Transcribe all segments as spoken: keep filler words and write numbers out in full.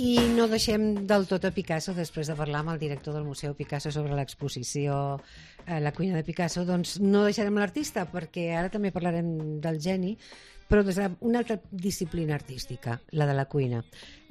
I no deixem del tot a Picasso, després de parlar amb el director del Museu Picasso sobre l'exposició eh, La cuina de Picasso, doncs no deixarem l'artista, perquè ara també parlarem del geni, però des d'una altra disciplina artística, la de la cuina.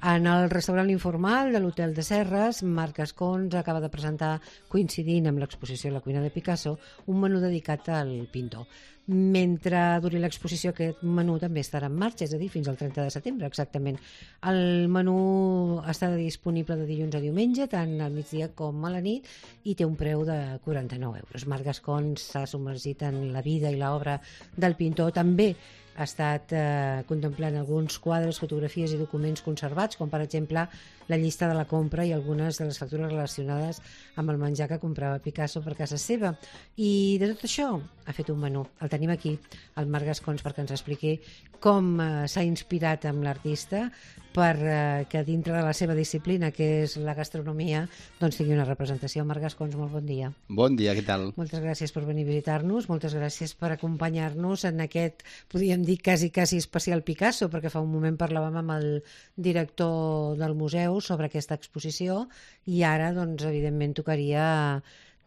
En el restaurant informal de l'Hotel de Serres, Marc Gascons acaba de presentar, coincidint amb l'exposició La cuina de Picasso, un menú dedicat al pintor. Mentre duri l'exposició, aquest menú també estarà en marxa, és a dir, fins al trenta de setembre, exactament. El menú està disponible de dilluns a diumenge, tant al migdia com a la nit, i té un preu de quaranta-nou euros. Marc Gascons s'ha submergit en la vida i l'obra del pintor. També ha estat eh, contemplant alguns quadres, fotografies i documents conservats, com per exemple la llista de la compra i algunes de les factures relacionades amb el menjar que comprava Picasso per casa seva. I de tot això ha fet un menú. El tenim aquí, el Marc Gascons, perquè ens expliqui com eh, s'ha inspirat amb l'artista per eh, que dintre de la seva disciplina, que és la gastronomia, doncs tingui una representació. Marc Gascons, molt bon dia. Bon dia, què tal? Moltes gràcies per venir a visitar-nos, moltes gràcies per acompanyar-nos en aquest, podríem dir, quasi, quasi especial Picasso, perquè fa un moment parlàvem amb el director del museu sobre aquesta exposició i ara, doncs, evidentment, tocaria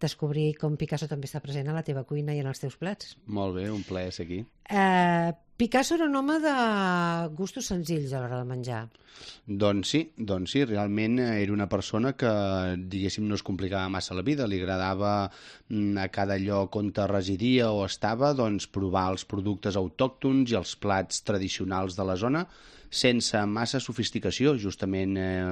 descobrir com Picasso també està present a la teva cuina i en els teus plats. Molt bé, un plaer ser aquí. Eh, Picasso era un home de gustos senzills a l'hora de menjar. Doncs sí, doncs sí, realment era una persona que, diguéssim, no es complicava massa la vida, li agradava a cada lloc on residia o estava, doncs, provar els productes autòctons i els plats tradicionals de la zona, sense massa sofisticació, justament eh,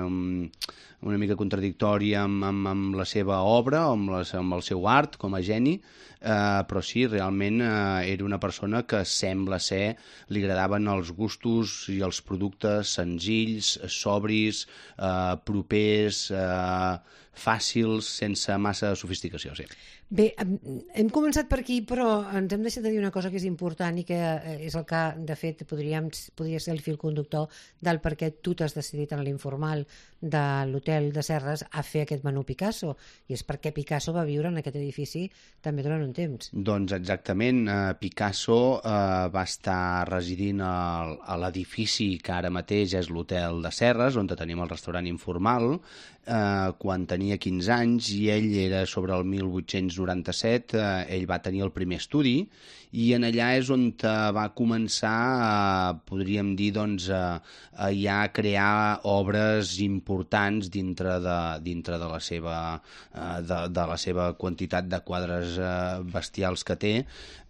una mica contradictòria amb, amb, amb la seva obra, amb, les, amb el seu art com a geni, eh, però sí, realment eh, era una persona que sembla ser, li agradaven els gustos i els productes senzills, sobris, eh, propers, eh, fàcils, sense massa sofisticació, sí. Bé, hem començat per aquí, però ens hem deixat de dir una cosa que és important i que és el que, de fet, podríem, podria ser el fil conductor del per què tu t'has decidit en l'informal de l'Hotel de Serres a fer aquest menú Picasso, i és perquè Picasso va viure en aquest edifici també durant un temps. Doncs exactament, eh, Picasso eh, va estar residint a, a l'edifici que ara mateix és l'Hotel de Serres, on tenim el restaurant informal, eh, quan tenia quinze anys, i ell era sobre el mil vuit-cents noranta-set, eh, ell va tenir el primer estudi, i en allà és on va començar, eh, podríem dir, doncs, a, a ja crear obres importants dintre de, dintre de, la seva, eh, de, de la seva quantitat de quadres eh, bestials que té.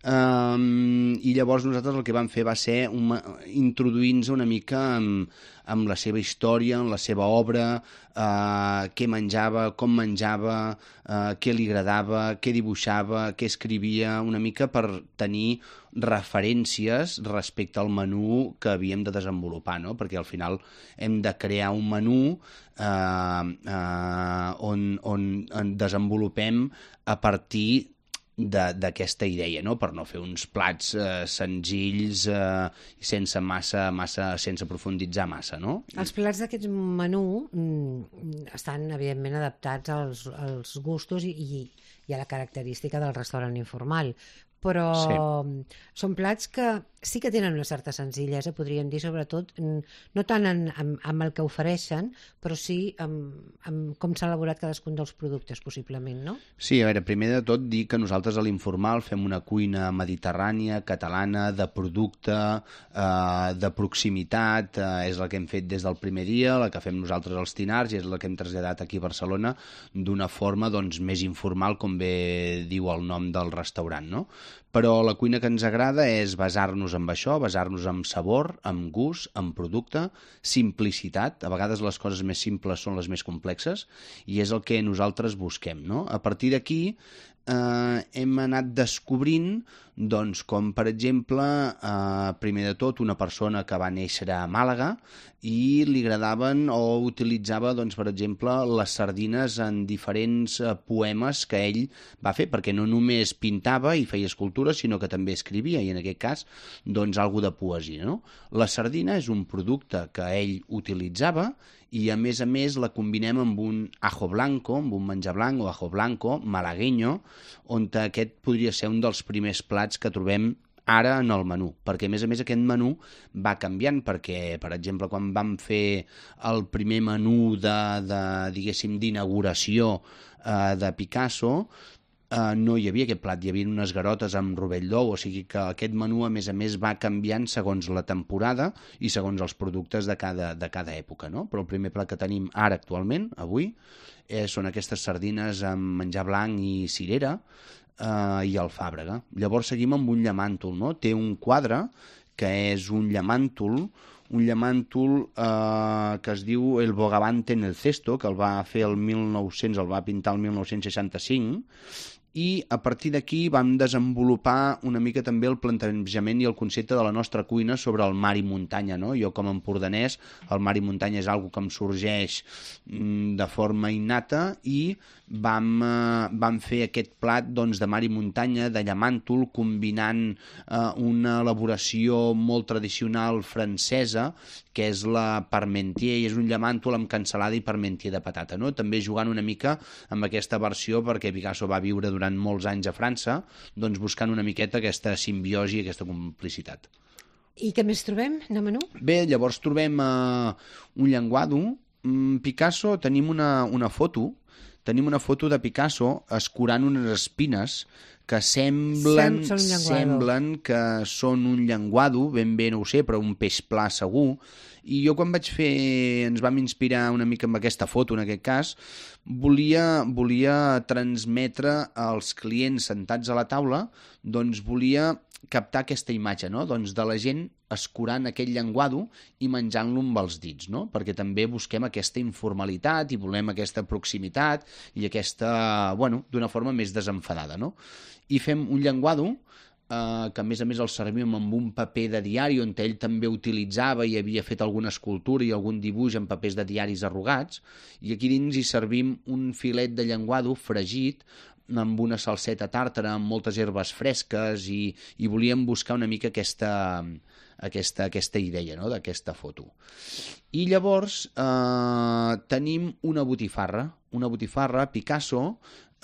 Um, I llavors nosaltres el que vam fer va ser un, introduir-nos una mica amb, amb la seva història, en la seva obra, uh, què menjava, com menjava, uh, què li agradava, què dibuixava, què escrivia, una mica per tenir referències respecte al menú que havíem de desenvolupar, no? Perquè al final hem de crear un menú uh, uh, on, on, on desenvolupem a partir d'aquesta idea, no? Per no fer uns plats eh, senzills eh, sense massa, massa, sense profunditzar massa, no? Els plats d'aquest menú mm, estan, evidentment, adaptats als, als gustos i, i, i a la característica del restaurant informal, però sí, són plats que sí que tenen una certa senzillesa, podríem dir, sobretot, no tant en, en, amb el que ofereixen, però sí amb, amb com s'ha elaborat cadascun dels productes, possiblement, no? Sí, a veure, primer de tot dir que nosaltres a l'Informal fem una cuina mediterrània, catalana, de producte, eh, de proximitat, eh, és la que hem fet des del primer dia, la que fem nosaltres als Tinars, i és la que hem traslladat aquí a Barcelona d'una forma, doncs, més informal, com bé diu el nom del restaurant, no? Però la cuina que ens agrada és basar-nos en això, basar-nos en sabor, en gust, en producte, simplicitat. A vegades les coses més simples són les més complexes i és el que nosaltres busquem, no? A partir d'aquí eh, hem anat descobrint, doncs, com per exemple, eh, primer de tot, una persona que va néixer a Màlaga i li agradaven o utilitzava, doncs, per exemple, les sardines en diferents eh, poemes que ell va fer, perquè no només pintava i feia escultures, sinó que també escrivia, i en aquest cas, doncs, alguna de poesia, no? La sardina és un producte que ell utilitzava i, a més a més, la combinem amb un ajo blanco, amb un menjar blanc o ajo blanco malagueño, on aquest podria ser un dels primers plats que trobem ara en el menú, perquè a més a més aquest menú va canviant, perquè per exemple quan vam fer el primer menú de, de diguéssim d'inauguració eh, de Picasso, eh, no hi havia aquest plat, hi havia unes garotes amb rovell d'ou, o sigui que aquest menú a més a més va canviant segons la temporada i segons els productes de cada, de cada època, no? Però el primer plat que tenim ara actualment, avui, eh, són aquestes sardines amb menjar blanc i cirera, Uh, i alfàbrega. Llavors seguim amb un llamàntol, no? Té un quadre que és un llamàntol, un llamàntol uh, que es diu El Bogavante en el Cesto, que el va fer el mil nou-cents, el va pintar el mil nou-cents seixanta-cinc, i a partir d'aquí vam desenvolupar una mica també el plantejament i el concepte de la nostra cuina sobre el mar i muntanya, no? Jo com a empordanès, el mar i muntanya és algo que em sorgeix mm, de forma innata i vam, eh, vam fer aquest plat doncs, de mar i muntanya, de llamàntol, combinant eh, una elaboració molt tradicional francesa, que és la parmentier, i és un llamàntol amb cansalada i parmentier de patata, no? També jugant una mica amb aquesta versió, perquè Picasso va viure durant molts anys a França, doncs buscant una miqueta aquesta simbiosi i aquesta complicitat. I què més trobem de menú? Bé, llavors trobem uh, un llenguado. Mm, Picasso, tenim una, una foto, tenim una foto de Picasso escurant unes espines que semblen, Sem semblen que són un llenguado, ben bé no ho sé, però un peix pla segur. I jo quan vaig fer, ens vam inspirar una mica amb aquesta foto, en aquest cas, volia, volia transmetre als clients sentats a la taula, doncs volia captar aquesta imatge, no? Doncs de la gent escurant aquell llenguado i menjant-lo amb els dits, no? Perquè també busquem aquesta informalitat i volem aquesta proximitat i aquesta, bueno, d'una forma més desenfadada, no? I fem un llenguado eh, que a més a més el servim amb un paper de diari on ell també utilitzava i havia fet alguna escultura i algun dibuix en papers de diaris arrugats, i aquí dins hi servim un filet de llenguado fregit amb una salseta tàrtara, amb moltes herbes fresques, i, i volíem buscar una mica aquesta, aquesta, aquesta idea, no?, d'aquesta foto. I llavors eh, tenim una botifarra, una botifarra. Picasso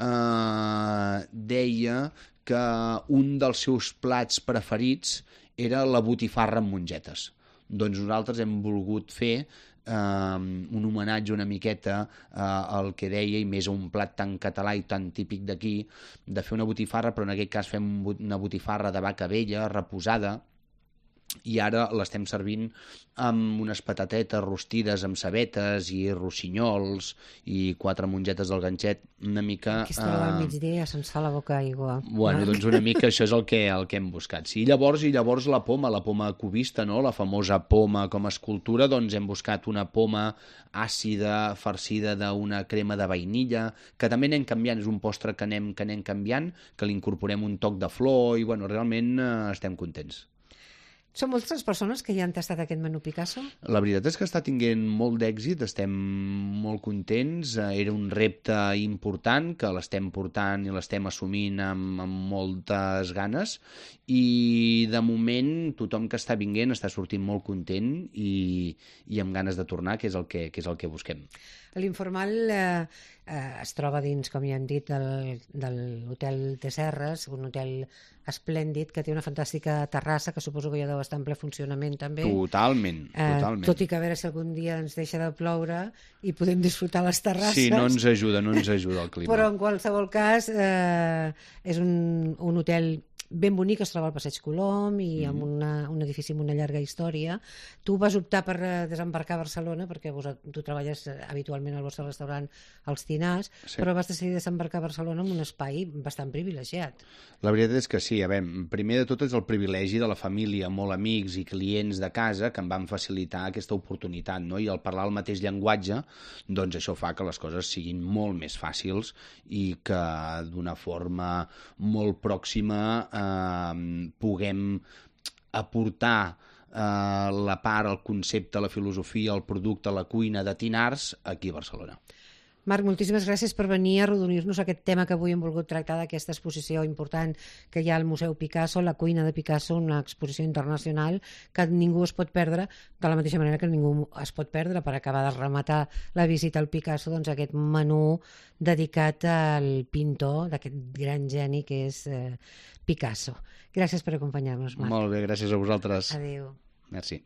eh, deia que un dels seus plats preferits era la botifarra amb mongetes. Doncs nosaltres hem volgut fer Um, un homenatge una miqueta uh, al que deia, i més a un plat tan català i tan típic d'aquí, de fer una botifarra, però en aquest cas fem una botifarra de vaca vella, reposada, i ara l'estem servint amb unes patatetes rostides amb cebetes i rossinyols i quatre mongetes del ganxet, una mica... Aquesta hora del migdia ja se'ns fa la boca aigua. Bueno, doncs una mica això és el que, el que hem buscat. Sí, llavors, i llavors la poma, la poma cubista, no?, la famosa poma com a escultura, doncs hem buscat una poma àcida, farcida d'una crema de vainilla, que també anem canviant, és un postre que anem, que anem canviant, que li incorporem un toc de flor, i bueno, realment eh, estem contents. Són moltes persones que ja han tastat aquest menú Picasso? La veritat és que està tinguent molt d'èxit, estem molt contents, era un repte important que l'estem portant i l'estem assumint amb, amb moltes ganes, i de moment tothom que està vinguent està sortint molt content i, i amb ganes de tornar, que és el que, que, és el que busquem. L'Informal eh, eh, es troba dins, com ja hem dit, del, de l'Hotel de Serres, un hotel esplèndid que té una fantàstica terrassa que suposo que ja deu estar en ple funcionament també. Totalment, totalment. Eh, tot i que a veure si algun dia ens deixa de ploure i podem disfrutar les terrasses. Sí, no ens ajuda, no ens ajuda el clima. Però en qualsevol cas eh, és un, un hotel ben bonic, es troba al Passeig Colom i amb una, un edifici amb una llarga història. Tu vas optar per desembarcar a Barcelona perquè vos, tu treballes habitualment al vostre restaurant als Tinars, sí, però vas decidir desembarcar a Barcelona en un espai bastant privilegiat. La veritat és que sí. A veure, primer de tot és el privilegi de la família, molt amics i clients de casa que em van facilitar aquesta oportunitat, no? I al parlar el mateix llenguatge, doncs això fa que les coses siguin molt més fàcils i que d'una forma molt pròxima eh, puguem aportar eh, la part, el concepte, la filosofia, el producte, la cuina de Tinars aquí a Barcelona. Marc, moltíssimes gràcies per venir a arrodonir-nos aquest tema que avui hem volgut tractar d'aquesta exposició important que hi ha al Museu Picasso, la cuina de Picasso, una exposició internacional que ningú es pot perdre, de la mateixa manera que ningú es pot perdre per acabar de rematar la visita al Picasso, doncs aquest menú dedicat al pintor d'aquest gran geni que és eh, Picasso. Gràcies per acompanyar-nos, Marc. Molt bé, gràcies a vosaltres. Adéu. Merci.